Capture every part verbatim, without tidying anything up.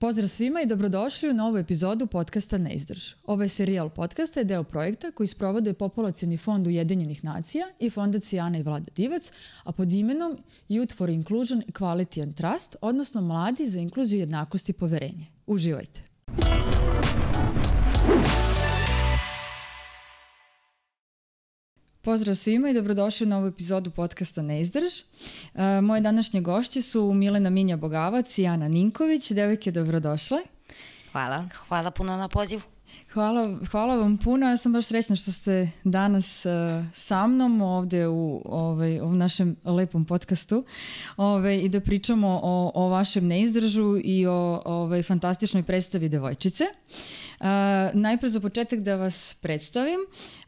Pozdrav svima i dobrodošli u novu epizodu podcasta Ne izdrž. Ovaj serijal podcasta je deo projekta koji sprovode Populacioni fond Ujedinjenih nacija i fondacija Ana i Vlada Divac, a pod imenom Youth for Inclusion, Equality and Trust, odnosno Mladi za inkluziju, jednakost i poverenje. Uživajte! Pozdrav svima i dobrodošli u novu epizodu podcasta Ne izdrž. Uh, moje današnje gošće su Milena Minja-Bogavac i Ana Ninković. Devojke, dobrodošle. Hvala. Hvala puno na pozivu. Hvala, hvala vam puno. Ja sam baš srećna što ste danas uh, sa mnom ovde u ovaj, u našem lepom podcastu ovaj, i da pričamo o, o vašem neizdržu i o ovaj, fantastičnoj predstavi Devojčice. Uh, najpre za početak da vas predstavim.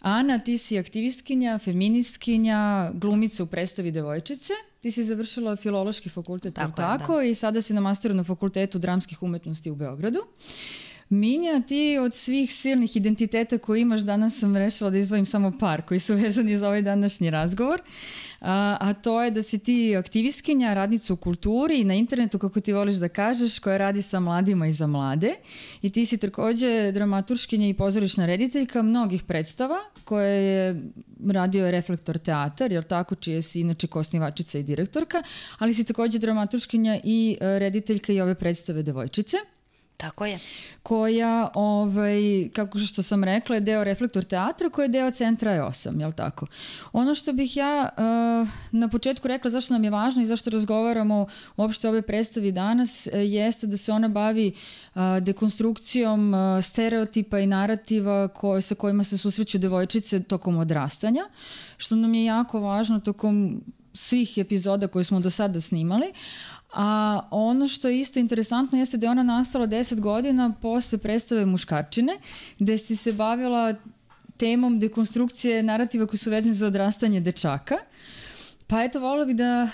Ana, ti si aktivistkinja, feministkinja, glumica u predstavi Devojčice. Ti si završila Filološki fakultet, tako, je, tako i sada si na masteru na Fakultetu dramskih umetnosti u Beogradu. Minja, ti od svih silnih identiteta koje imaš, danas sam rešila da izdvojim samo par koji su vezani za ovaj današnji razgovor, a, a to je da si ti aktivistkinja, radnica u kulturi i na internetu, kako ti voliš da kažeš, koja radi sa mladima i za mlade, i ti si takođe dramaturškinja i pozorišna rediteljka mnogih predstava koje je radio Reflektor teatar, jer tako, čije si inače koosnivačica i direktorka, ali si takođe dramaturškinja i rediteljka i ove predstave Devojčice. Tako je. Koja, ovaj, kako što sam rekla, je deo Reflektor teatra, koja je deo Centra E osam, jel tako? Ono što bih ja uh, na početku rekla zašto nam je važno i zašto razgovaramo uopšte o ovoj predstavi danas, jeste da se ona bavi uh, dekonstrukcijom uh, stereotipa i narativa koje, sa kojima se susreću devojčice tokom odrastanja, što nam je jako važno tokom svih epizoda koje smo do sada snimali. A ono što je isto interesantno jeste da je ona nastala deset godina posle predstave Muškarčine, gde si se bavila temom dekonstrukcije narativa koji su vezani za odrastanje dečaka. Pa eto, volila bih da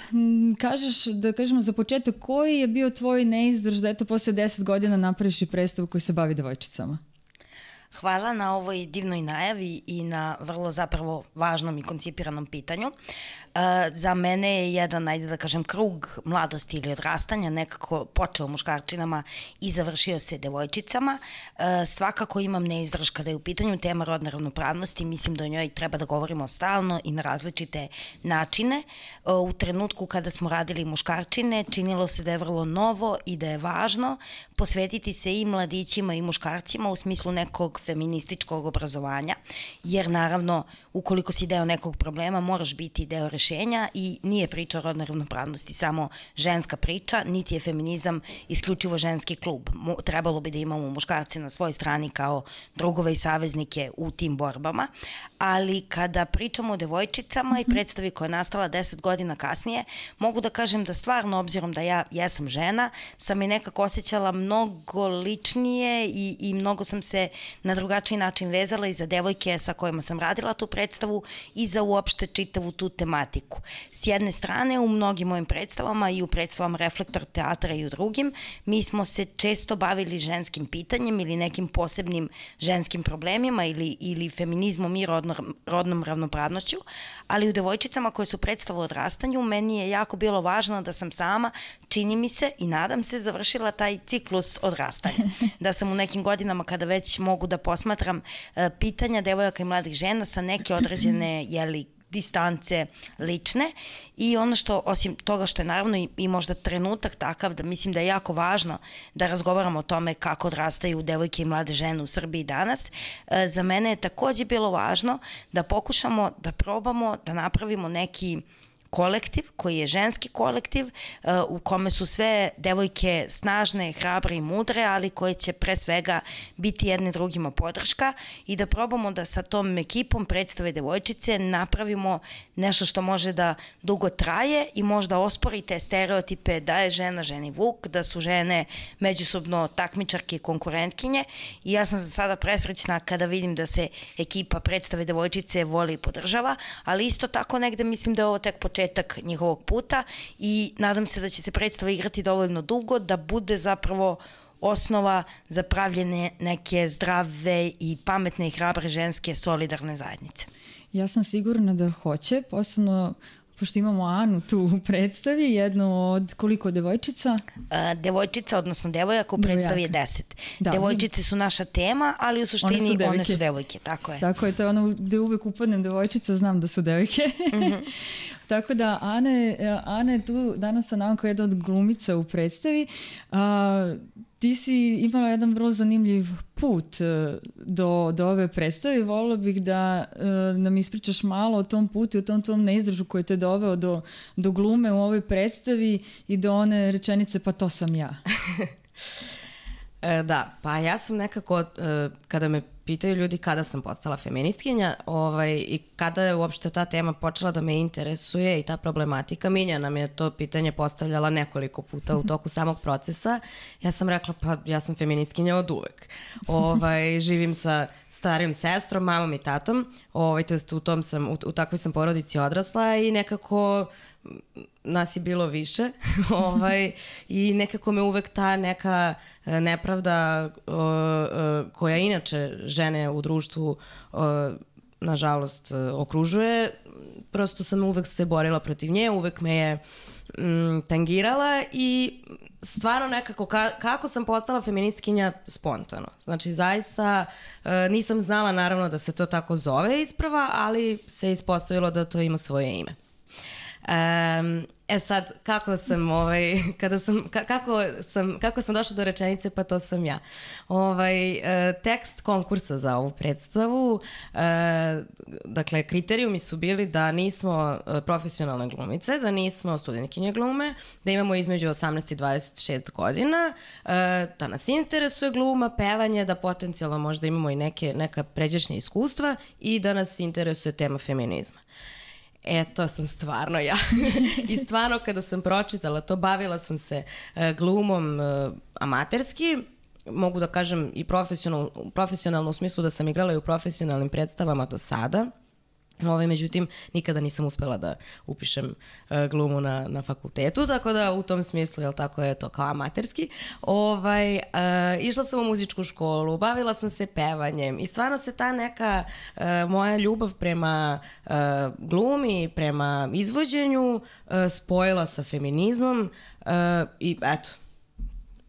kažeš, da kažemo za početak, koji je bio tvoj neizdrž da eto posle deset godina napraviš i predstavu koji se bavi devojčicama? Hvala na ovoj divnoj najavi i na vrlo zapravo važnom i koncipiranom pitanju. Uh, za mene je jedan, ajde da kažem, krug mladosti ili odrastanja nekako počeo Muškarčinama i završio se Devojčicama. Uh, svakako imam neizdrž kada je u pitanju tema rodne ravnopravnosti, mislim da o njoj treba da govorimo stalno i na različite načine. Uh, u trenutku kada smo radili Muškarčine, činilo se da je vrlo novo i da je važno posvetiti se i mladićima i muškarcima u smislu nekog feminističkog obrazovanja, jer naravno ukoliko si deo nekog problema moraš biti deo rešenja i nije priča o rodnoj ravnopravnosti samo ženska priča, niti je feminizam isključivo ženski klub. Trebalo bi da imamo muškarce na svojoj strani kao drugove i saveznike u tim borbama, ali kada pričamo o devojčicama i predstavi koja je nastala deset godina kasnije, mogu da kažem da stvarno, obzirom da ja jesam žena, sam i nekako osjećala mnogo ličnije i, i mnogo sam se na drugačiji način vezala i za devojke sa kojima sam radila tu predstavu i za uopšte čitavu tu tematiku. S jedne strane, u mnogim mojim predstavama i u predstavama Reflektor teatra i u drugim, mi smo se često bavili ženskim pitanjem ili nekim posebnim ženskim problemima ili, ili feminizmom i rodno, rodnom ravnopravnošću, ali u Devojčicama koje su predstava o odrastanju, meni je jako bilo važno da sam sama, čini mi se i nadam se, završila taj ciklus odrastanja. Da sam u nekim godinama kada već mogu da posmatram uh, pitanja devojaka i mladih žena sa neke određene, jeli, distance lične, i ono što, osim toga što je naravno i, i možda trenutak takav da mislim da je jako važno da razgovaramo o tome kako odrastaju devojke i mlade žene u Srbiji danas, e, za mene je takođe bilo važno da pokušamo da probamo da napravimo neki kolektiv koji je ženski kolektiv uh, u kome su sve devojke snažne, hrabre i mudre, ali koje će pre svega biti jedne drugima podrška, i da probamo da sa tom ekipom predstave Devojčice napravimo nešto što može da dugo traje i možda ospori te stereotipe da je žena ženi vuk, da su žene međusobno takmičarke i konkurentkinje, i ja sam za sada presrećna kada vidim da se ekipa predstave Devojčice voli i podržava, ali isto tako negde mislim da je ovo tek početak njihovog puta i nadam se da će se predstava igrati dovoljno dugo da bude zapravo osnova za pravljenje neke zdrave i pametne i hrabre ženske solidarne zajednice. Ja sam sigurna da hoće, posebno pošto imamo Anu tu u predstavi, jednu od koliko devojčica? Uh, devojčica, odnosno devojaka u predstavi je deset. Da. Devojčice su naša tema, ali u suštini one su, one su devojke, tako je. Tako je, to je ono gde uvek upadnem devojčica, znam da su devojke. Mm-hmm. Tako da Ana, Ana je tu danas sa nama kao jedna od glumica u predstavi. Uh, ti si imala jedan vrlo zanimljiv put do, do ove predstave. Volila bih da uh, nam ispričaš malo o tom putu i o tom tvom neizdržu koji te doveo do, do glume u ovoj predstavi i do one rečenice pa to sam ja. E, da, pa ja sam nekako, e, kada me pitaju ljudi kada sam postala feministkinja ovaj, i kada je uopšte ta tema počela da me interesuje i ta problematika, Minja nam je to pitanje postavljala nekoliko puta u toku samog procesa. Ja sam rekla, pa ja sam feministkinja od uvek. Ovaj, živim sa starijom sestrom, mamom i tatom, ovaj, to jest u, tom sam, u, u takvoj sam porodici odrasla i nekako nas je bilo više ovaj, i nekako me uvek ta neka nepravda uh, uh, koja inače žene u društvu uh, nažalost uh, okružuje, prosto sam uvek se borila protiv nje, uvek me je mm, tangirala i stvarno nekako ka, kako sam postala feministkinja spontano. Znači zaista uh, nisam znala naravno da se to tako zove isprava, ali se ispostavilo da to ima svoje ime. Um, e sad, kako sam, ovaj, kada sam, ka, kako sam, kako sam došla do rečenice, pa to sam ja. Ovaj, e, tekst konkursa za ovu predstavu, e, dakle, kriterijumi su bili da nismo profesionalne glumice, da nismo studentkinje glume, da imamo između osamnaest i dvadeset šest godina, e, da nas interesuje gluma, pevanje, da potencijalno možda imamo i neke, neka pređašnja iskustva i da nas interesuje tema feminizma. E, to sam stvarno ja. I stvarno kada sam pročitala to, bavila sam se uh, glumom uh, amaterski, mogu da kažem i profesionalno, profesionalno u smislu da sam igrala i u profesionalnim predstavama do sada. Ovaj, međutim, nikada nisam uspela da upišem uh, glumu na, na fakultetu, tako da u tom smislu, jel tako je to kao amaterski. Ovaj, uh, išla sam u muzičku školu, bavila sam se pevanjem i stvarno se ta neka uh, moja ljubav prema uh, glumi, prema izvođenju uh, spojila sa feminizmom uh, i eto,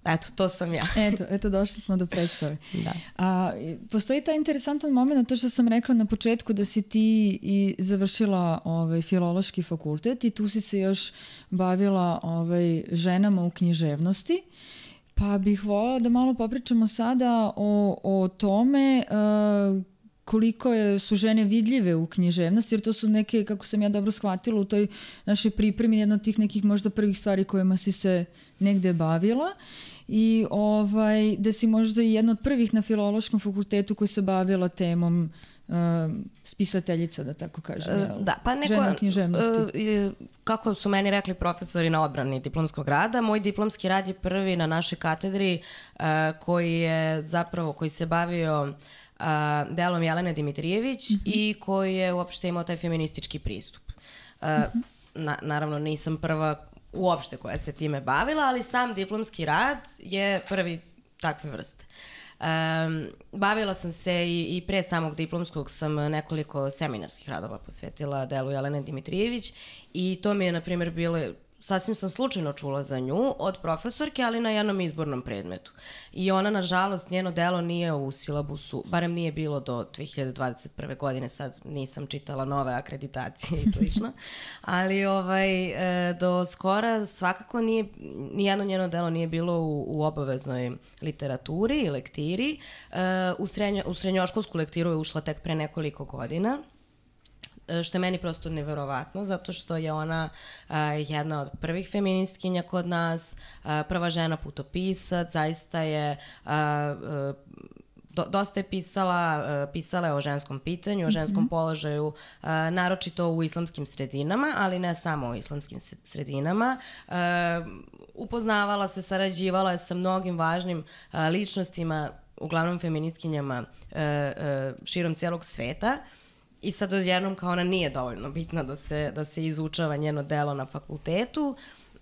Eto, to sam ja. Eto, eto došli smo do predstave. Da. A, postoji taj interesantan moment, to što sam rekla na početku da si ti i završila ovaj, filološki fakultet i tu si se još bavila ovaj, ženama u književnosti. Pa bih voljela da malo popričamo sada o, o tome uh, koliko je, su žene vidljive u književnosti, jer to su neke, kako sam ja dobro shvatila, u toj našoj pripremi jedna od tih nekih možda prvih stvari kojima si se negde bavila i ovaj, da si možda i jedna od prvih na filološkom fakultetu koji se bavila temom uh, spisateljica, da tako kažem, jel? Da, pa neko, žena u književnosti. Uh, kako su meni rekli profesori na odbrani diplomskog rada, moj diplomski rad je prvi na našoj katedri uh, koji je zapravo, koji se bavio Uh, delom Jelene Dimitrijević mm-hmm. i koji je uopšte imao taj feministički pristup. Uh, mm-hmm. na, naravno nisam prva uopšte koja se time bavila, ali sam diplomski rad je prvi takve vrste. Um, bavila sam se i, i pre samog diplomskog sam nekoliko seminarskih radova posvetila delu Jelene Dimitrijević i to mi je, na primjer, bilo sasvim sam slučajno čula za nju od profesorke, ali na jednom izbornom predmetu. I ona, nažalost, njeno delo nije u silabusu, barem nije bilo do dve hiljade dvadeset prve godine, sad nisam čitala nove akreditacije i slično, ali ovaj, e, do skora svakako nije, nijedno njeno delo nije bilo u, u obaveznoj literaturi i lektiri. E, u, srednjo, u srednjoškolsku lektiru je ušla tek pre nekoliko godina, što je meni prosto neverovatno, zato što je ona uh, jedna od prvih feministkinja kod nas, uh, prva žena putopisac, zaista je uh, uh, do, dosta je pisala, uh, pisala je o ženskom pitanju, o ženskom mm-hmm. položaju, uh, naročito u islamskim sredinama, ali ne samo u islamskim sredinama. Uh, upoznavala se, sarađivala je sa mnogim važnim uh, ličnostima, uglavnom feministkinjama uh, uh, širom cijelog sveta. I sad odjednom kao ona nije dovoljno bitna da se, da se izučava njeno delo na fakultetu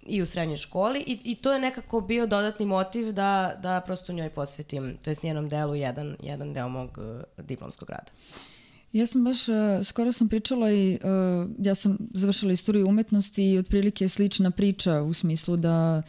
i u srednjoj školi i, i to je nekako bio dodatni motiv da, da prosto njoj posvetim, to jest njenom delu, jedan, jedan deo mog uh, diplomskog rada. Ja sam baš, uh, skoro sam pričala i uh, ja sam završila istoriju umetnosti i otprilike je slična priča u smislu da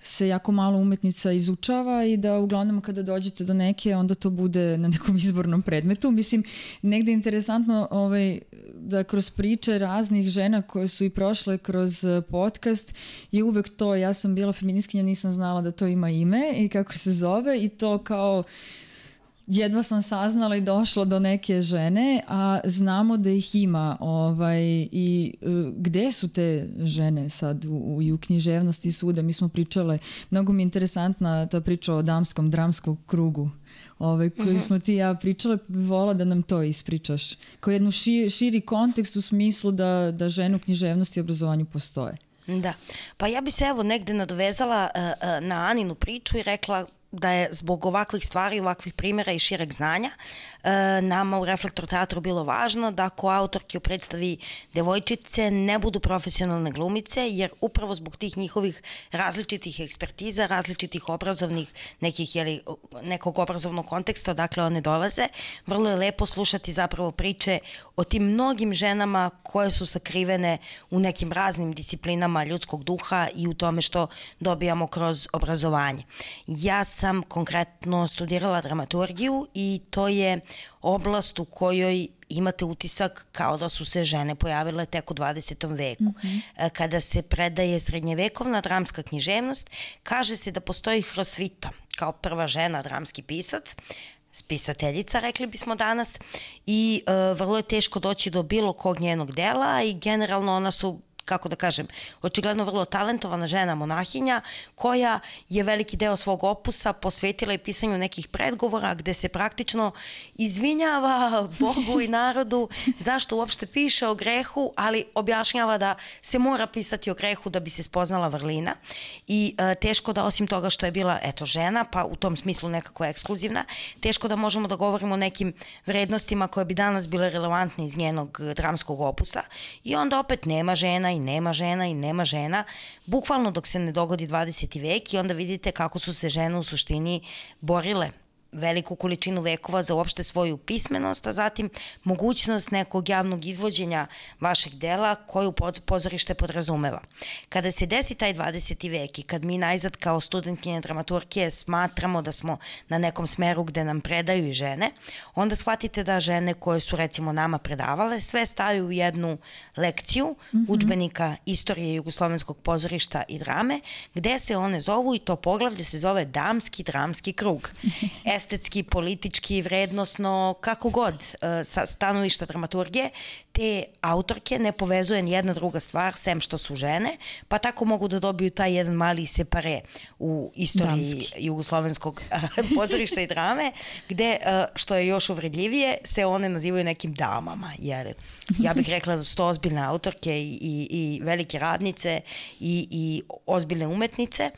se jako malo umetnica izučava i da uglavnom kada dođete do neke, onda to bude na nekom izbornom predmetu. Mislim, negde je interesantno ovaj, da kroz priče raznih žena koje su i prošle kroz podcast je uvek to, ja sam bila feministkinja, nisam znala da to ima ime i kako se zove i to kao jedva sam saznala i došla do neke žene, a znamo da ih ima ovaj, i uh, gde su te žene sad u, u, u književnosti svuda. Mi smo pričale, mnogo mi je interesantna ta priča o damskom dramskom krugu ovaj, koju mm-hmm. smo ti ja pričale, vola da nam to ispričaš. Kao jednu ši, širi kontekst u smislu da, da žene u književnosti i obrazovanju postoje. Da, pa ja bi se evo negde nadovezala uh, uh, na Aninu priču i rekla da je zbog ovakvih stvari, ovakvih primjera i šireg znanja e, nama u Reflektor teatru bilo važno da ko autorki u predstavi devojčice ne budu profesionalne glumice, jer upravo zbog tih njihovih različitih ekspertiza, različitih obrazovnih nekih, jeli, nekog obrazovnog konteksta, odakle one dolaze, vrlo je lepo slušati zapravo priče o tim mnogim ženama koje su sakrivene u nekim raznim disciplinama ljudskog duha i u tome što dobijamo kroz obrazovanje. Ja sam konkretno studirala dramaturgiju i to je oblast u kojoj imate utisak kao da su se žene pojavile tek u dvadesetom veku. Mm-hmm. Kada se predaje srednjevekovna dramska književnost, kaže se da postoji Hrosvita kao prva žena dramski pisac, spisateljica, rekli bismo danas, i e, vrlo je teško doći do bilo kog njenog dela i generalno ona su, kako da kažem, očigledno vrlo talentovana žena monahinja koja je veliki deo svog opusa posvetila i pisanju nekih predgovora gde se praktično izvinjava Bogu i narodu zašto uopšte piše o grehu, ali objašnjava da se mora pisati o grehu da bi se spoznala vrlina i e, teško da osim toga što je bila eto žena, pa u tom smislu nekako ekskluzivna, teško da možemo da govorimo o nekim vrednostima koje bi danas bile relevantne iz njenog dramskog opusa i onda opet nema žena i nema žena i nema žena, bukvalno dok se ne dogodi dvadeseti vek i onda vidite kako su se žene u suštini borile veliku količinu vekova za uopšte svoju pismenost, a zatim mogućnost nekog javnog izvođenja vašeg dela koju pozorište podrazumeva. Kada se desi taj dvadeseti vek i kad mi najzad kao studentkinje dramaturgije smatramo da smo na nekom smeru gde nam predaju i žene, onda shvatite da žene koje su recimo nama predavale sve staju u jednu lekciju mm-hmm. udžbenika istorije jugoslovenskog pozorišta i drame, gde se one zovu i to poglavlje se zove Damski dramski krug. Estetski, politički, vrednosno, kako god, sa stanovišta dramaturgije, te autorke ne povezuje ni jedna druga stvar, sem što su žene, pa tako mogu da dobiju taj jedan mali separe u istoriji Damski. Jugoslovenskog pozorišta i drame, gde, što je još uvredljivije, se one nazivaju nekim damama, jer ja bih rekla da su to ozbiljne autorke i, i, i velike radnice i, i ozbiljne umetnice.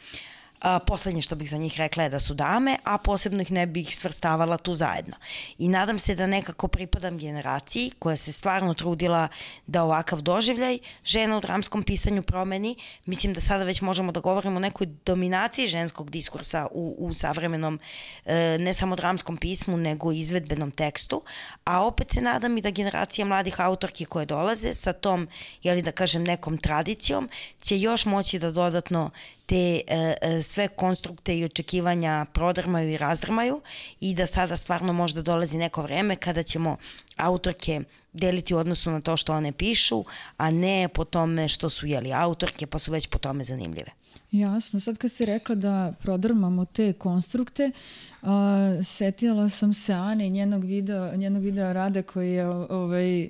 A, poslednje što bih za njih rekla je da su dame, a posebno ih ne bih svrstavala tu zajedno. I nadam se da nekako pripadam generaciji koja se stvarno trudila da ovakav doživljaj žena u dramskom pisanju promeni. Mislim da sada već možemo da govorimo o nekoj dominaciji ženskog diskursa u, u savremenom e, ne samo dramskom pismu, nego izvedbenom tekstu, a opet se nadam i da generacija mladih autorki koje dolaze sa tom, jeli da kažem, nekom tradicijom, će još moći da dodatno te e, sve konstrukte i očekivanja prodrmaju i razdrmaju i da sada stvarno možda dolazi neko vreme kada ćemo autorke deliti u odnosu na to što one pišu, a ne po tome što su jeli autorke pa su već po tome zanimljive. Jasno, sad kad si rekla da prodrmamo te konstrukte, uh, setila sam se Ane i njenog videa, njenog videa Rade koji je ovaj,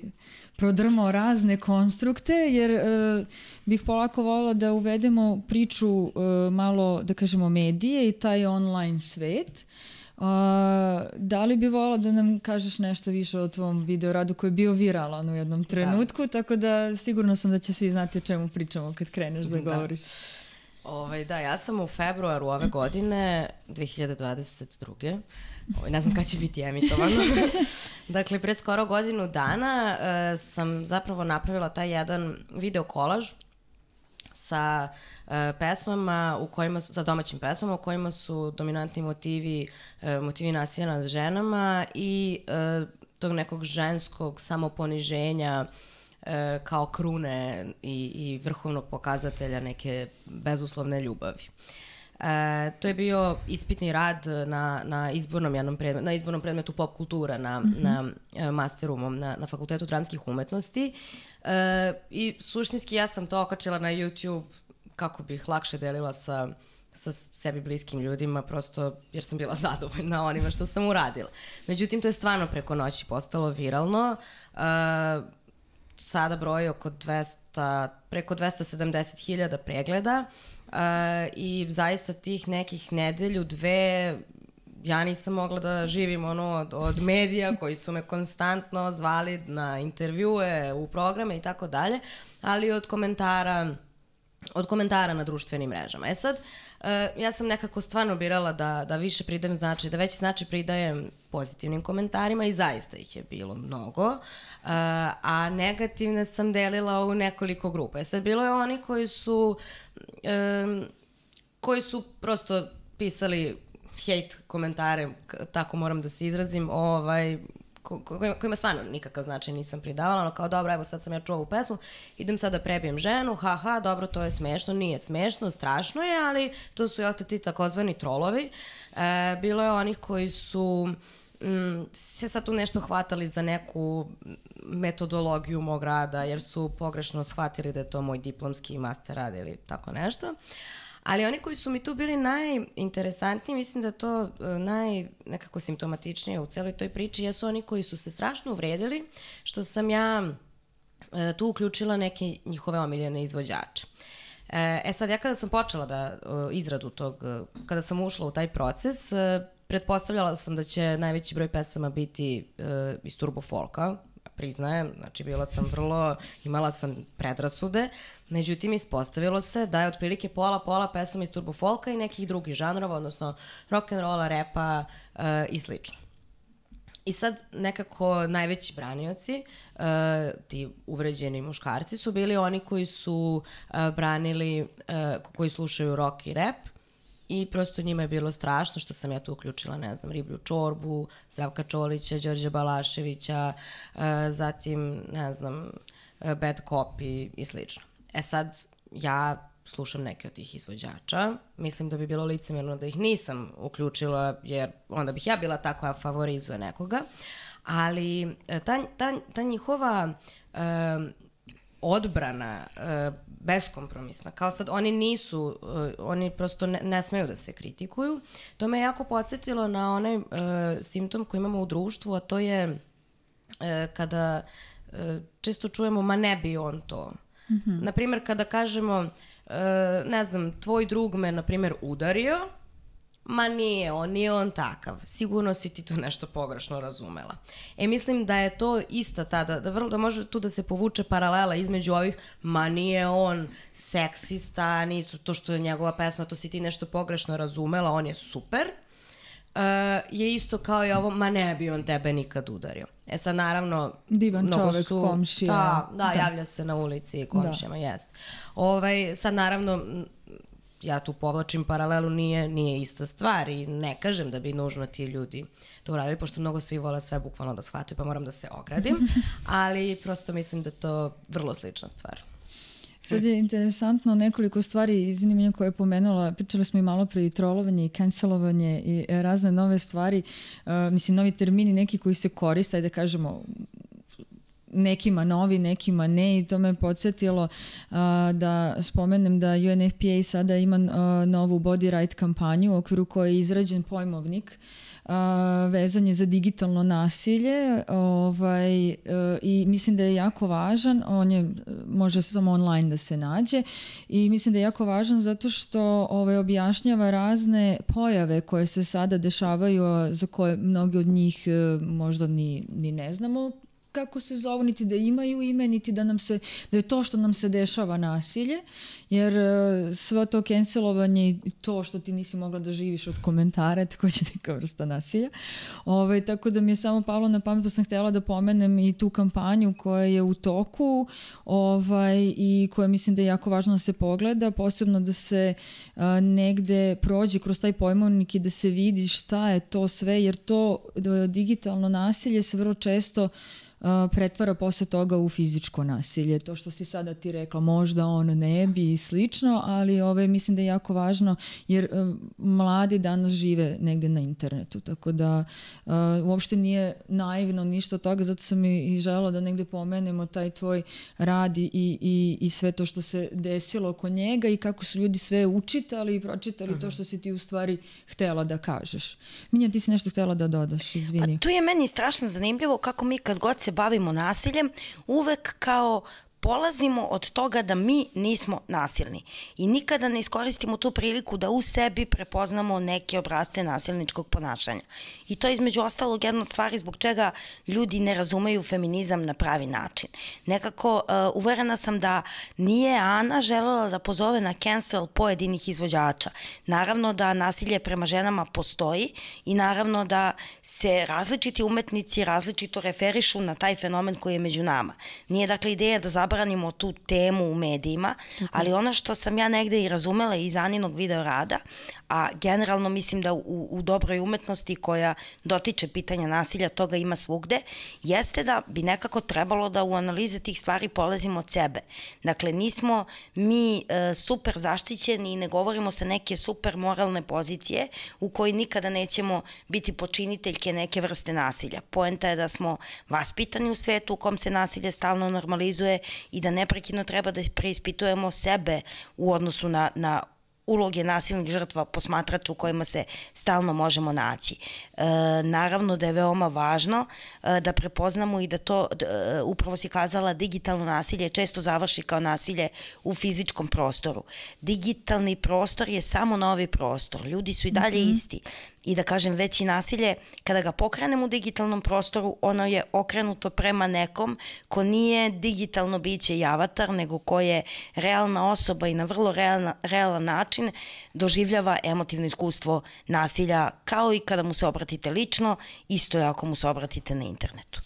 prodrmao razne konstrukte, jer uh, bih polako volila da uvedemo priču uh, malo, da kažemo, medije i taj online svet. Uh, da li bi volila da nam kažeš nešto više o tvom videoradu koji je bio viralan u jednom trenutku, da. Tako da sigurno sam da će svi znati o čemu pričamo kad kreneš da, da. govoriš. Ovaj, da, ja sam u februaru ove godine, dve hiljade dvadeset druge Ovaj, ne znam kada će biti emitovano. Dakle, pre skoro godinu dana uh, sam zapravo napravila taj jedan video kolaž sa uh, pesmama u kojima su, sa domaćim pesmama u kojima su dominantni motivi, uh, motivi nasilja nad ženama i uh, tog nekog ženskog samoponiženja e, kao krune i, i vrhovnog pokazatelja neke bezuslovne ljubavi. E, to je bio ispitni rad na, na, izbornom, jednom predmetu, na izbornom predmetu pop kultura na, mm-hmm. na e, masteru na, na Fakultetu dramskih umetnosti. E, I suštinski ja sam to okačila na YouTube kako bih lakše delila sa, sa sebi bliskim ljudima, prosto jer sam bila zadovoljna onima što sam uradila. Međutim, to je stvarno preko noći postalo viralno. E, sada broji oko dvesta, preko dvesta sedamdeset hiljada pregleda. Uh, i zaista tih nekih nedelju, dve, ja nisam mogla da živim ono od, od medija koji su me konstantno zvali na intervjue, u programe i tako dalje, ali od komentara od komentara na društvenim mrežama. E sad, uh, ja sam nekako stvarno birala da, da više pridajem značaj, da veći značaj pridajem pozitivnim komentarima i zaista ih je bilo mnogo, uh, a negativne sam delila u nekoliko grupa. E sad, bilo je oni koji su um, koji su prosto pisali hate komentare, tako moram da se izrazim, ovaj, ko, ko, kojima stvarno nikakav značaj nisam pridavala, ono kao dobro, evo sad sam ja čuo ovu pesmu, idem sad da prebijem ženu, haha, dobro, to je smešno, nije smešno, strašno je, ali to su, jel te, ti takozvani trolovi. E, bilo je onih koji su mm, se sad tu nešto hvatali za neku metodologiju mog rada, jer su pogrešno shvatili da je to moj diplomski master rad ili tako nešto. Ali oni koji su mi tu bili najinteresantniji, mislim da je to naj, nekako simptomatičnije u celoj toj priči, jesu oni koji su se strašno uvredili, što sam ja e, tu uključila neke njihove omiljene izvođače. E, e sad, ja kada sam počela da o, izradu tog, kada sam ušla u taj proces, e, pretpostavljala sam da će najveći broj pesama biti e, iz turbo folka, priznajem, znači bila sam vrlo, imala sam predrasude, međutim ispostavilo se da je otprilike pola pola pesama iz turbo folka i nekih drugih žanrova, odnosno rock'n'rolla, repa uh, i slično. I sad nekako najveći branioci, uh, ti uvređeni muškarci, su bili oni koji su uh, branili, uh, koji slušaju rock i rap. I prosto njima je bilo strašno što sam ja tu uključila, ne znam, Riblju čorbu, Zdravka Čolića, Đorđa Balaševića, uh, zatim, ne znam, uh, Bad Copy i slično. E sad, ja slušam neke od tih izvođača, mislim da bi bilo licemerno da ih nisam uključila, jer onda bih ja bila ta koja favorizuje nekoga, ali ta, ta, ta njihova uh, odbrana uh, beskompromisna, kao sad oni nisu, uh, oni prosto ne, ne smeju da se kritikuju, to me jako podsjetilo na onaj uh, simptom koji imamo u društvu, a to je uh, kada uh, često čujemo ma ne bi on to. Mm-hmm. Naprimjer, kada kažemo, uh, ne znam, tvoj drug me, na primjer, udario, ma nije on, nije on takav. Sigurno si ti to nešto pogrešno razumela. E, mislim da je to ista ta, da, da, da može tu da se povuče paralela između ovih, ma nije on seksista, nije to što je njegova pesma, to si ti nešto pogrešno razumela, on je super. Uh, je isto kao i ovo, ma ne bi on tebe nikad udario. E sad, naravno, divan čovek, su, komšija. Da, da, da, javlja se na ulici i komšijama, da. Jest. Ovaj, sad, naravno, ja tu povlačim paralelu, nije, nije ista stvar i ne kažem da bi nužno ti ljudi to uradili, pošto mnogo svi vole sve bukvalno da shvataju, pa moram da se ogradim, ali prosto mislim da je to vrlo slična stvar. Sad je interesantno nekoliko stvari iz zanimanja koje je pomenula. Pričali smo i malo pre i trolovanje i cancelovanje i razne nove stvari. Uh, mislim, novi termini neki koji se koriste, ajde da kažemo, nekima novi, nekima ne, i to me podsjetilo uh, da spomenem da U N F P A sada ima uh, novu body right kampanju u okviru koje je izrađen pojmovnik uh, vezan je za digitalno nasilje, ovaj, uh, i mislim da je jako važan. On je, može samo online da se nađe, i mislim da je jako važan zato što ovaj, objašnjava razne pojave koje se sada dešavaju, za koje mnogi od njih uh, možda ni, ni ne znamo kako se zovu, niti da imaju ime, niti da nam se, da je to što nam se dešava nasilje, jer uh, sve to cancelovanje i to što ti nisi mogla da živiš od komentara, takođe neka vrsta nasilja. Ove, tako da mi je samo palo na pamet, pa sam htjela da pomenem i tu kampanju koja je u toku ovaj, i koja mislim da je jako važno da se pogleda, posebno da se uh, negde prođe kroz taj pojmovnik i da se vidi šta je to sve, jer to uh, digitalno nasilje se vrlo često Uh, pretvara posle toga u fizičko nasilje. To što si sada ti rekla, možda on ne bi i slično, ali ove, mislim da je jako važno jer uh, mladi danas žive negde na internetu, tako da uh, uopšte nije naivno ništa od toga, zato sam i, i želela da negde pomenemo taj tvoj rad i, i, i sve to što se desilo oko njega i kako su ljudi sve učitali i pročitali uh-huh. to što si ti u stvari htela da kažeš. Minja, ti si nešto htela da dodaš, izvini. Pa tu je meni strašno zanimljivo kako mi kad god se bavimo nasiljem, uvek kao polazimo od toga da mi nismo nasilni i nikada ne iskoristimo tu priliku da u sebi prepoznamo neke obrazce nasilničkog ponašanja. I to je između ostalog jedna od stvari zbog čega ljudi ne razumeju feminizam na pravi način. Nekako uh, uverena sam da nije Ana želela da pozove na cancel pojedinih izvođača. Naravno da nasilje prema ženama postoji i naravno da se različiti umetnici različito referišu na taj fenomen koji je među nama. Nije dakle ideja da zabranimo tu temu u medijima, ali ono što sam ja negde i razumela iz Aninog video rada, a generalno mislim da u, u dobroj umetnosti koja dotiče pitanja nasilja, toga ima svugde, jeste da bi nekako trebalo da u analize tih stvari polazimo od sebe. Dakle, nismo mi e, super zaštićeni i ne govorimo sa neke super moralne pozicije u kojoj nikada nećemo biti počiniteljke neke vrste nasilja. Poenta je da smo vaspitani u svetu u kom se nasilje stalno normalizuje i da neprekidno treba da preispitujemo sebe u odnosu na, na uloge nasilnih žrtva posmatrača u kojima se stalno možemo naći. E, naravno da je veoma važno e, da prepoznamo i da to, e, upravo si kazala, digitalno nasilje često završi kao nasilje u fizičkom prostoru. Digitalni prostor je samo novi prostor. Ljudi su i dalje mm-hmm. isti. I da kažem, veći nasilje, kada ga pokrenemo u digitalnom prostoru, ono je okrenuto prema nekom ko nije digitalno biće i avatar, nego ko je realna osoba i na vrlo realna, realan način doživljava emotivno iskustvo nasilja, kao i kada mu se obratite lično, isto je ako mu se obratite na internetu.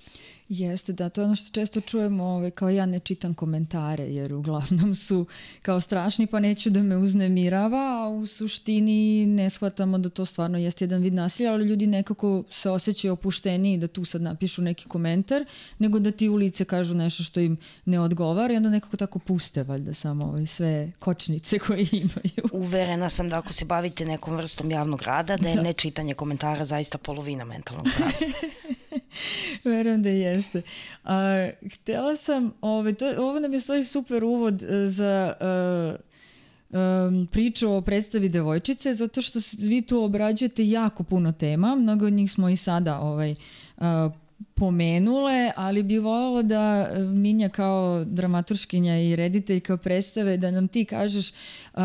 Jeste, da, to je ono što često čujemo, ovaj, kao ja ne čitam komentare, jer uglavnom su kao strašni, pa neću da me uznemirava, a u suštini ne shvatamo da to stvarno jeste jedan vid nasilja, ali ljudi nekako se osjećaju opušteniji da tu sad napišu neki komentar, nego da ti u lice kažu nešto što im ne odgovara i onda nekako tako puste, valjda, samo ovaj, sve kočnice koje imaju. Uverena sam da ako se bavite nekom vrstom javnog rada, da je da. nečitanje komentara zaista polovina mentalnog zdravlja. Verujem da jeste. A, htjela sam, ove, to, ovo nam je stvari super uvod za uh, um, priču o predstavi Devojčice, zato što vi tu obrađujete jako puno tema, mnogo od njih smo i sada ovaj, uh, pomenule, ali bi voljela da Minja kao dramaturškinja i rediteljka predstave, da nam ti kažeš uh,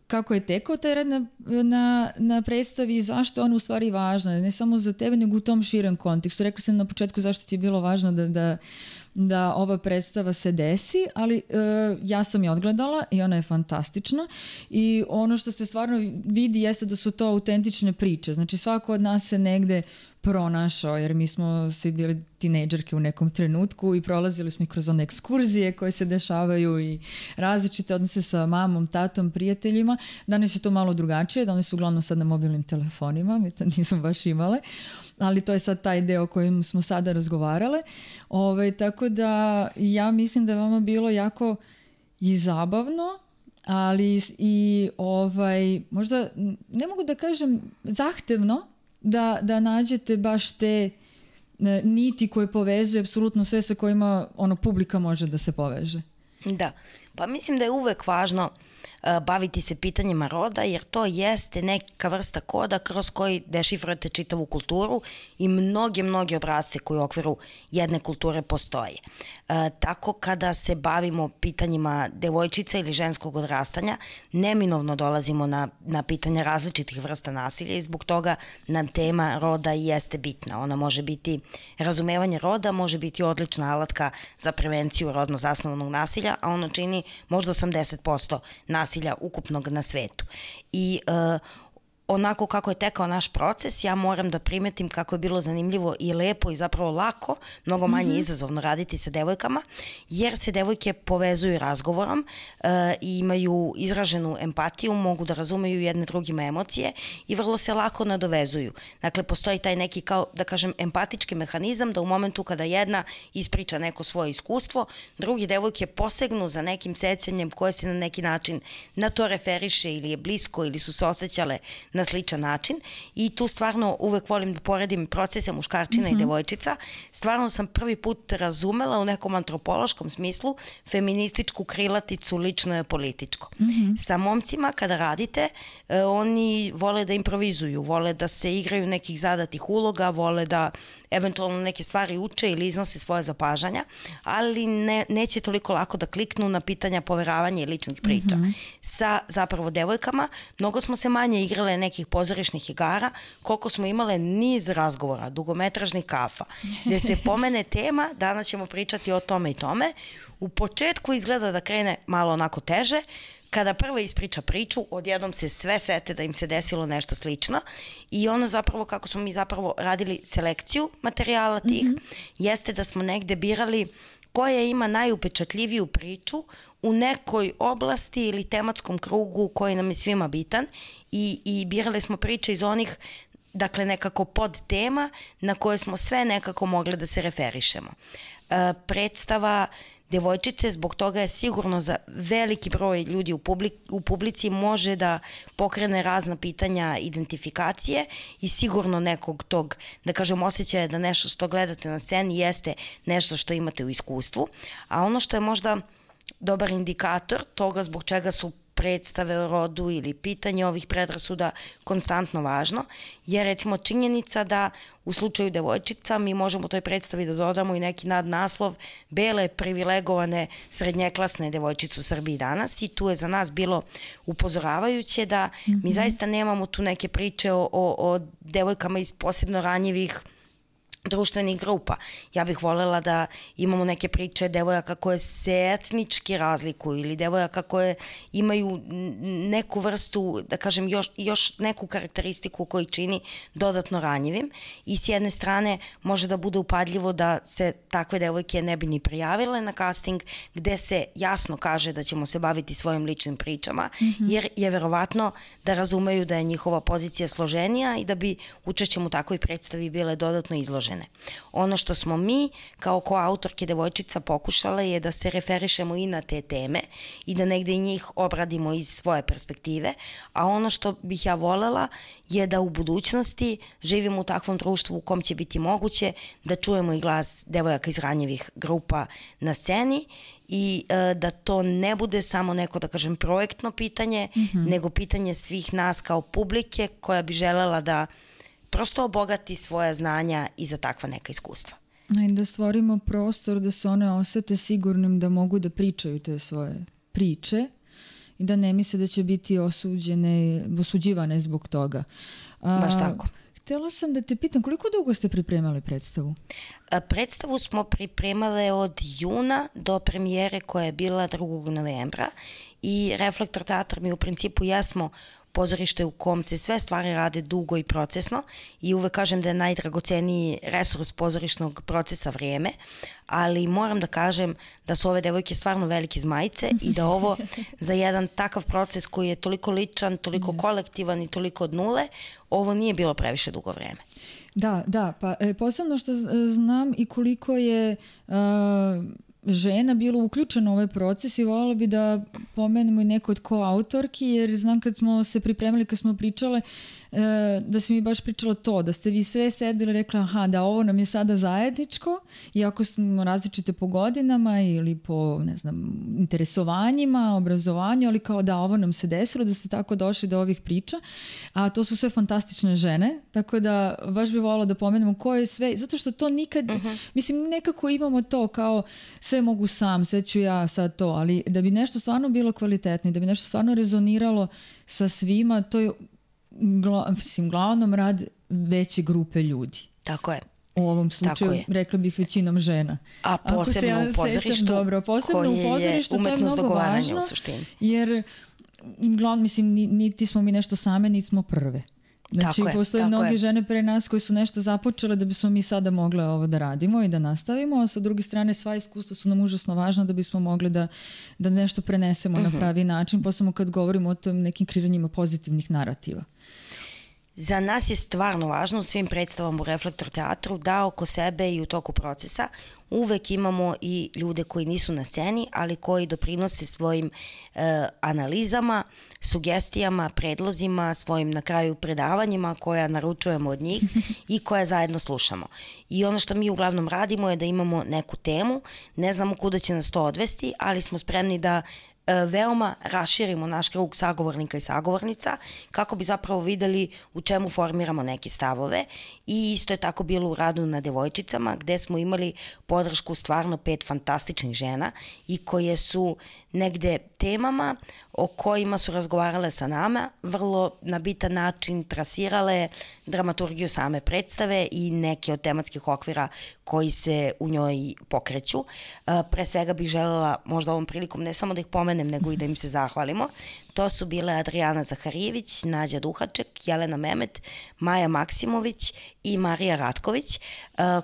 kako je tekao taj rad na, na, na predstavi i zašto je ona u stvari važna, ne samo za tebe, nego u tom širem kontekstu. Rekla sam na početku zašto ti je bilo važno da, da, da ova predstava se desi, ali uh, ja sam je odgledala i ona je fantastična i ono što se stvarno vidi jeste da su to autentične priče. Znači svako od nas se negde pronašao, jer mi smo svi bili tinejdžerke u nekom trenutku i prolazili smo i kroz one ekskurzije koje se dešavaju i različite odnose sa mamom, tatom, prijateljima. Danas je to malo drugačije, danas su uglavnom sad na mobilnim telefonima, mi to nismo baš imale, ali to je sad taj deo o kojem smo sada razgovarale. Ove, tako da ja mislim da je vama bilo jako i zabavno, ali i ovaj, možda, ne mogu da kažem zahtevno, da, da nađete baš te niti koje povezuje apsolutno sve sa kojima ono publika može da se poveže. Da, pa mislim da je uvek važno baviti se pitanjima roda, jer to jeste neka vrsta koda kroz koji dešifrujete čitavu kulturu i mnoge, mnoge obrasce koji u okviru jedne kulture postoje. E, tako kada se bavimo pitanjima devojčica ili ženskog odrastanja, neminovno dolazimo na, na pitanja različitih vrsta nasilja i zbog toga nam tema roda i jeste bitna. Ona može biti, razumevanje roda može biti odlična alatka za prevenciju rodno zasnovanog nasilja, a ono čini možda osamdeset posto nasilja ukupnog na svetu. I e, onako kako je tekao naš proces, ja moram da primetim kako je bilo zanimljivo i lepo i zapravo lako, mnogo manje mm-hmm. izazovno raditi sa devojkama, jer se devojke povezuju razgovorom uh, i imaju izraženu empatiju, mogu da razumeju jedne drugima emocije i vrlo se lako nadovezuju. Dakle, postoji taj neki, kao da kažem, empatički mehanizam da u momentu kada jedna ispriča neko svoje iskustvo, drugi devojke posegnu za nekim sećanjem koje se na neki način na to referiše ili je blisko ili su se osjećale na sličan način i tu stvarno uvek volim da poredim procese muškarčina mm-hmm. i devojčica. Stvarno sam prvi put razumela u nekom antropološkom smislu feminističku krilaticu lično je političko. Mm-hmm. Sa momcima kada radite, eh, oni vole da improvizuju, vole da se igraju nekih zadatih uloga, vole da eventualno neke stvari uče ili iznose svoje zapažanja, ali ne, neće toliko lako da kliknu na pitanja poveravanja i ličnih priča. Mm-hmm. Sa zapravo devojkama mnogo smo se manje igrale nekih pozorišnih igara, koliko smo imale niz razgovora, dugometražnih kafa, gde se pomene tema, danas ćemo pričati o tome i tome. U početku izgleda da krene malo onako teže, kada prva ispriča priču, odjednom se sve sete da im se desilo nešto slično i ono zapravo kako smo mi zapravo radili selekciju materijala tih, mm-hmm. jeste da smo negde birali koja ima najupečatljiviju priču u nekoj oblasti ili tematskom krugu koji nam je svima bitan i, i birali smo priče iz onih, dakle nekako pod tema na koje smo sve nekako mogli da se referišemo. E, predstava devojčice, zbog toga je sigurno za veliki broj ljudi u, publik, u publici može da pokrene razna pitanja identifikacije i sigurno nekog tog, da kažem, osjećaja da nešto što gledate na sceni jeste nešto što imate u iskustvu, a ono što je možda dobar indikator toga zbog čega su predstave o rodu ili pitanje ovih predrasuda konstantno važno, je recimo činjenica da u slučaju devojčica mi možemo toj predstavi da dodamo i neki nadnaslov bele privilegovane srednjeklasne devojčice u Srbiji danas i tu je za nas bilo upozoravajuće da mm-hmm. mi zaista nemamo tu neke priče o, o, o devojkama iz posebno ranjivih društvenih grupa. Ja bih voljela da imamo neke priče devojaka koje se etnički razlikuju ili devojaka koje imaju neku vrstu, da kažem, još, još neku karakteristiku koji čini dodatno ranjivim i s jedne strane može da bude upadljivo da se takve devojke ne bi ni prijavile na casting gde se jasno kaže da ćemo se baviti svojim ličnim pričama, mm-hmm. jer je verovatno da razumeju da je njihova pozicija složenija i da bi učešćem u takvoj predstavi bile dodatno izložene. Ono što smo mi kao koautorke devojčica pokušale je da se referišemo i na te teme i da negde i njih obradimo iz svoje perspektive, a ono što bih ja volela je da u budućnosti živimo u takvom društvu u kom će biti moguće da čujemo i glas devojaka iz ranjivih grupa na sceni i e, da to ne bude samo neko, da kažem, projektno pitanje, mm-hmm. nego pitanje svih nas kao publike koja bi želela da prosto obogati svoja znanja i za takva neka iskustva. I da stvorimo prostor da se one osete sigurnim da mogu da pričaju te svoje priče i da ne misle da će biti osuđene, osuđivane zbog toga. A, Baš tako. Htjela sam da te pitam, koliko dugo ste pripremali predstavu? A, predstavu smo pripremale od juna do premijere koja je bila drugog novembra i Reflektor teatr mi u principu jesmo pozorište u kom se sve stvari rade dugo i procesno i uvek kažem da je najdragoceniji resurs pozorišnog procesa vrijeme, ali moram da kažem da su ove devojke stvarno velike zmajice i da ovo za jedan takav proces koji je toliko ličan, toliko yes. kolektivan i toliko od nule, ovo nije bilo previše dugo vrijeme. Da, da, pa e, posebno što znam i koliko je uh, žena bilo uključeno u ovaj proces i voljela bi da pomenemo i neko od koautorki, jer znam kad smo se pripremili, kad smo pričale, da si mi baš pričala to, da ste vi sve sedeli i rekla aha, da ovo nam je sada zajedničko, iako smo različite po godinama ili po, ne znam, interesovanjima, obrazovanju, ali kao da ovo nam se desilo, da ste tako došli do ovih priča, a to su sve fantastične žene, tako da baš bi volila da pomenemo ko je sve, zato što to nikad, uh-huh. mislim, nekako imamo to kao sve mogu sam, sve ću ja, sad to, ali da bi nešto stvarno bilo kvalitetno i da bi nešto stvarno rezoniralo sa svima, to je gla, mislim, glavnom rad veće grupe ljudi. Tako je. U ovom slučaju, rekla bih, većinom žena. A posebno ja u pozorištu, sećam, dobro, posebno u pozorištu, to je mnogo važno, jer glavno, mislim, niti smo mi nešto same, niti smo prve. Znači, tako postoje mnogi je. žene pre nas koji su nešto započele da bismo mi sada mogle ovo da radimo i da nastavimo, a sa druge strane sva iskustva su nam užasno važna da bismo mogli da, da nešto prenesemo uh-huh. na pravi način, posebno kad govorimo o tom nekim kreiranjima pozitivnih narativa. Za nas je stvarno važno u svim predstavama u Reflektor teatru da oko sebe i u toku procesa uvek imamo i ljude koji nisu na sceni, ali koji doprinose svojim e, analizama, sugestijama, predlozima, svojim na kraju predavanjima koja naručujemo od njih i koja zajedno slušamo. I ono što mi uglavnom radimo je da imamo neku temu, ne znamo kuda će nas to odvesti, ali smo spremni da veoma raširimo naš krug sagovornika i sagovornica kako bi zapravo videli u čemu formiramo neke stavove i isto je tako bilo u radu na devojčicama gde smo imali podršku stvarno pet fantastičnih žena i koje su negde temama o kojima su razgovarale sa nama vrlo na bitan način trasirale dramaturgiju same predstave i neke od tematskih okvira koji se u njoj pokreću. Pre svega bih želela možda ovom prilikom ne samo da ih pomenem nego i da im se zahvalimo. To su bile Adrijana Zaharijević, Nađa Duhaček, Jelena Memet, Maja Maksimović i Marija Ratković,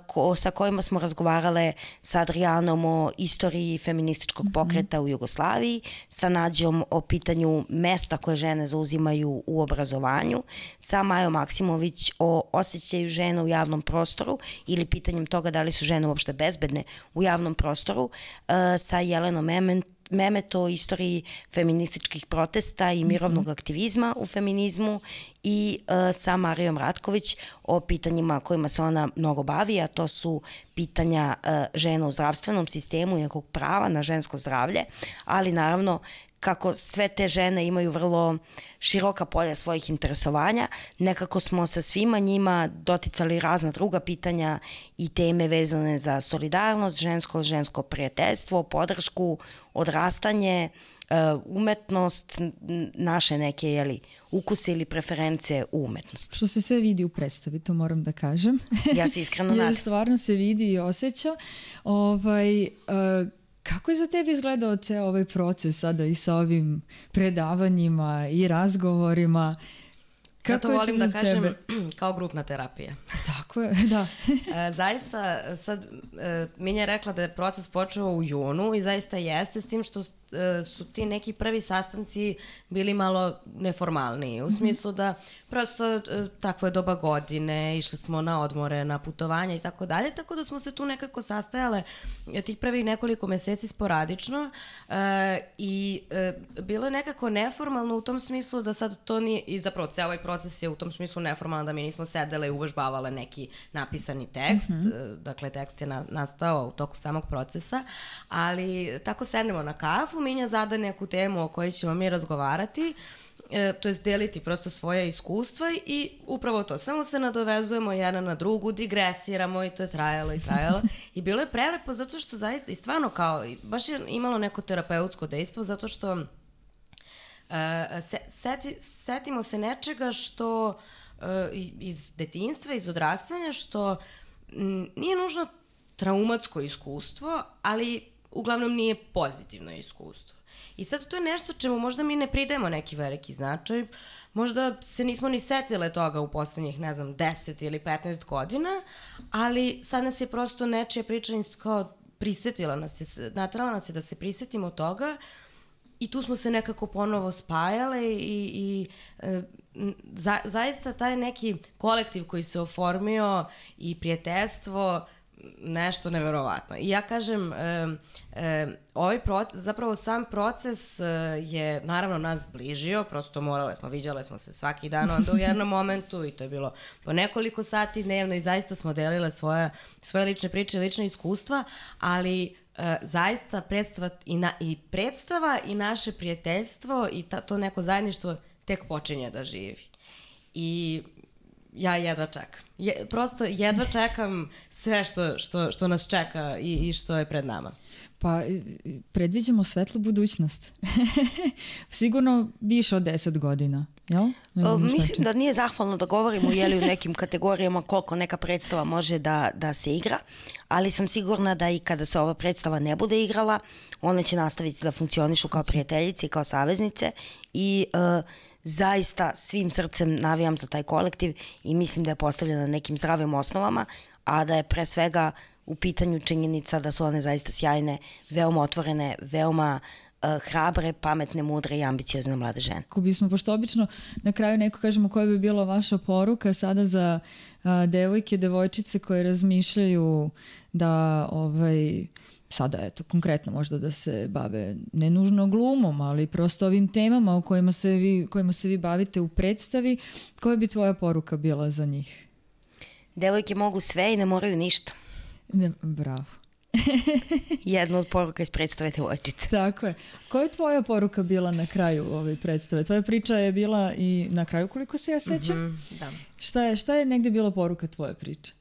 ko, sa kojima smo razgovarale sa Adrijanom o istoriji feminističkog pokreta u Jugoslaviji, sa Nađom o pitanju mesta koje žene zauzimaju u obrazovanju, sa Majom Maksimović o osjećaju žena u javnom prostoru ili pitanjem toga da li su žene uopšte bezbedne u javnom prostoru, sa Jelenom Memet, Memet o istoriji feminističkih protesta i mirovnog mm-hmm. aktivizma u feminizmu i uh, sa Marijom Ratković o pitanjima kojima se ona mnogo bavi, a to su pitanja uh, žena u zdravstvenom sistemu i nekog prava na žensko zdravlje, ali naravno kako sve te žene imaju vrlo široka polja svojih interesovanja, nekako smo sa svima njima doticali razna druga pitanja i teme vezane za solidarnost, žensko, žensko prijateljstvo, podršku, odrastanje, umetnost, naše neke jeli, ukuse ili preference u umetnosti. Što se sve vidi u predstavi, to moram da kažem. Ja se iskreno nadam. Jer stvarno se vidi i osjeća. Ovaj, uh, Kako je za tebi izgledao ceo ovaj proces sada i sa ovim predavanjima i razgovorima? Kako ja to volim da kažem tebe? Kao grupna terapija. Tako je, da. e, zaista, sad, e, Minja je rekla da je proces počeo u junu i zaista jeste, s tim što e, su ti neki prvi sastanci bili malo neformalniji, u smislu da prosto e, takvo je doba godine, išli smo na odmore, na putovanja i tako dalje, tako da smo se tu nekako sastajale tih prvih nekoliko meseci sporadično e, i e, bilo je nekako neformalno u tom smislu da sad to nije, i zapravo ceo ovaj proces je u tom smislu neformalno da mi nismo sedele i uvežbavale neki napisani tekst, mm-hmm. dakle tekst je na, nastao u toku samog procesa, ali tako sednemo na kafu, Minja zada neku temu o kojoj ćemo mi razgovarati, e, to je deliti prosto svoje iskustva i upravo to, samo se nadovezujemo jedna na drugu, digresiramo i to je trajalo i trajalo i bilo je prelepo zato što zaista i stvarno kao, baš je imalo neko terapeutsko dejstvo zato što uh, se, seti, setimo se nečega što uh, iz detinjstva, iz odrastanja što m, nije nužno traumatsko iskustvo, ali uglavnom nije pozitivno iskustvo. I sad to je nešto čemu možda mi ne pridemo neki veliki značaj, možda se nismo ni setile toga u poslednjih, ne znam, deset ili petnaest godina, ali sad nas je prosto nečija priča kao prisetila nas je, natrala nas je da se prisetimo toga i tu smo se nekako ponovo spajale i, i za, zaista taj neki kolektiv koji se oformio i prijateljstvo nešto neverovatno. I ja kažem, e, e, ovaj proces, zapravo sam proces e, je naravno nas zbližio, prosto morale smo, viđale smo se svaki dan onda u jednom momentu i to je bilo po nekoliko sati dnevno i zaista smo delile svoje, svoje lične priče i lične iskustva, ali e, zaista predstava i, na, i predstava i naše prijateljstvo i ta, to neko zajedništvo tek počinje da živi. I ja jedva čekam. Je, prosto jedva čekam sve što, što, što nas čeka i, i što je pred nama. Pa predviđamo svetlu budućnost. Sigurno više od deset godina, jel? O, mislim da nije zahvalno da govorimo jeli u nekim kategorijama koliko neka predstava može da, da se igra, ali sam sigurna da i kada se ova predstava ne bude igrala, one će nastaviti da funkcionišu kao prijateljice i kao saveznice i uh, zaista svim srcem navijam za taj kolektiv i mislim da je postavljena na nekim zdravim osnovama, a da je pre svega u pitanju činjenica da su one zaista sjajne, veoma otvorene, veoma uh, hrabre, pametne, mudre i ambiciozne mlade žene. Ako bismo, pošto obično na kraju neko kažemo koja bi bila vaša poruka sada za uh, devojke, devojčice koje razmišljaju da ovaj, sada eto konkretno možda da se bave ne nužno glumom, ali prosto ovim temama o kojima se vi, kojima se vi bavite u predstavi, koja bi tvoja poruka bila za njih? Devojke mogu sve i ne moraju ništa. Ne, bravo. Jedna od poruka iz predstave devojčice. Tako je. Koja je tvoja poruka bila na kraju ove predstave? Tvoja priča je bila i na kraju koliko se ja sećam. Mm-hmm, da. Šta je, šta je negde bila poruka tvoje priče?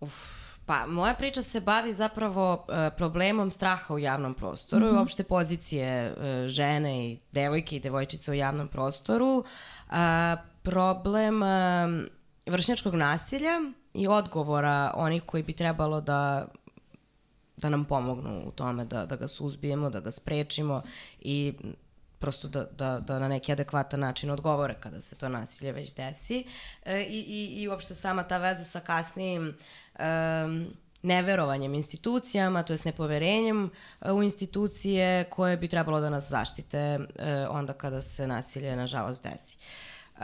Uf. Pa, moja priča se bavi zapravo uh, problemom straha u javnom prostoru mm-hmm. i uopšte pozicije uh, žene i devojke i devojčice u javnom prostoru. Uh, problem uh, vršnjačkog nasilja i odgovora onih koji bi trebalo da, da nam pomognu u tome, da, da ga suzbijemo, da ga sprečimo i prosto da, da, da na neki adekvatan način odgovore kada se to nasilje već desi. E, i, i, I uopšte sama ta veza sa kasnijim um, neverovanjem institucijama, to jest nepoverenjem u institucije koje bi trebalo da nas zaštite uh, onda kada se nasilje nažalost desi. Uh,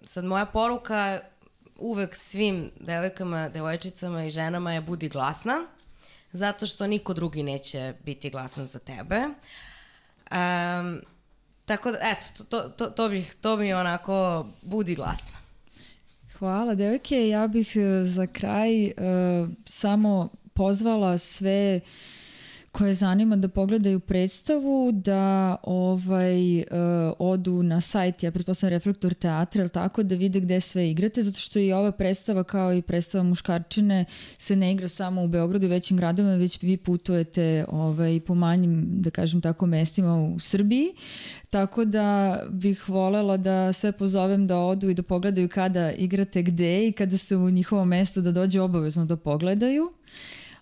sad moja poruka uvek svim devojkama, devojčicama i ženama je budi glasna, zato što niko drugi neće biti glasan za tebe. Um, tako da, eto, to, to, to, bih, to mi je onako budi glasna. Hvala, devojke. Ja bih za kraj uh, samo pozvala sve koje zanima da pogledaju predstavu, da ovaj, uh, odu na sajt, ja pretpostavljam Reflektor teatra, ili tako, da vide gde sve igrate, zato što i ova predstava kao i predstava Muškarčine se ne igra samo u Beogradu i većim gradovima, već vi putujete ovaj, po manjim, da kažem tako, mestima u Srbiji. Tako da bih volela da sve pozovem da odu i da pogledaju kada igrate gde i kada ste u njihovom mestu da dođe obavezno da pogledaju.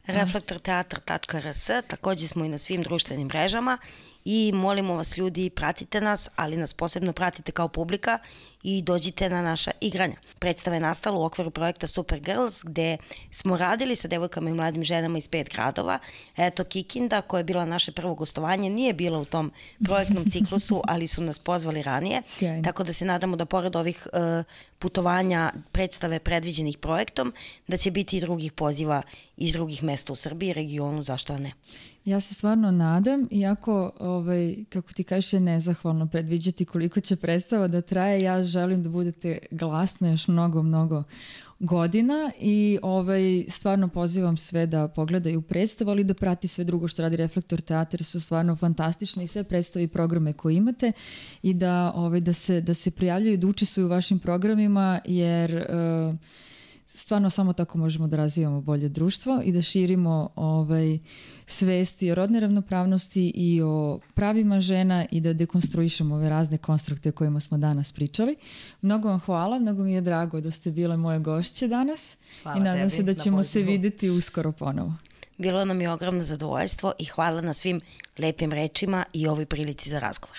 reflektor teatar tačka r s, takođe smo i na svim društvenim mrežama i molimo vas ljudi, pratite nas, ali nas posebno pratite kao publika i dođite na naša igranja. Predstava je nastala u okviru projekta Super Girls, gde smo radili sa devojkama i mladim ženama iz pet gradova. Eto, Kikinda, koja je bila naše prvo gostovanje, nije bila u tom projektnom ciklusu, ali su nas pozvali ranije. Sjajno. Tako da se nadamo da pored ovih uh, putovanja predstave predviđenih projektom, da će biti i drugih poziva iz drugih mesta u Srbiji, regionu, zašto ne. Ja se stvarno nadam, iako, ovaj, kako ti kažeš, je nezahvalno predviđati koliko će predstava da traje, ja želim da budete glasne još mnogo, mnogo godina i ovaj, stvarno pozivam sve da pogledaju predstavu, ali da prati sve drugo što radi Reflektor teatar, su stvarno fantastični i sve predstave i programe koje imate i da, ovaj, da, se, da se prijavljuju, da učestvuju u vašim programima, jer uh, stvarno samo tako možemo da razvijamo bolje društvo i da širimo ovaj, svesti o rodne ravnopravnosti i o pravima žena i da dekonstruišemo ove razne konstrukte o kojima smo danas pričali. Mnogo vam hvala, mnogo mi je drago da ste bile moje gošće danas. Hvala i nadam se da ćemo se videti uskoro ponovo. Bilo nam je ogromno zadovoljstvo i hvala na svim lepim rečima i ovoj prilici za razgovor.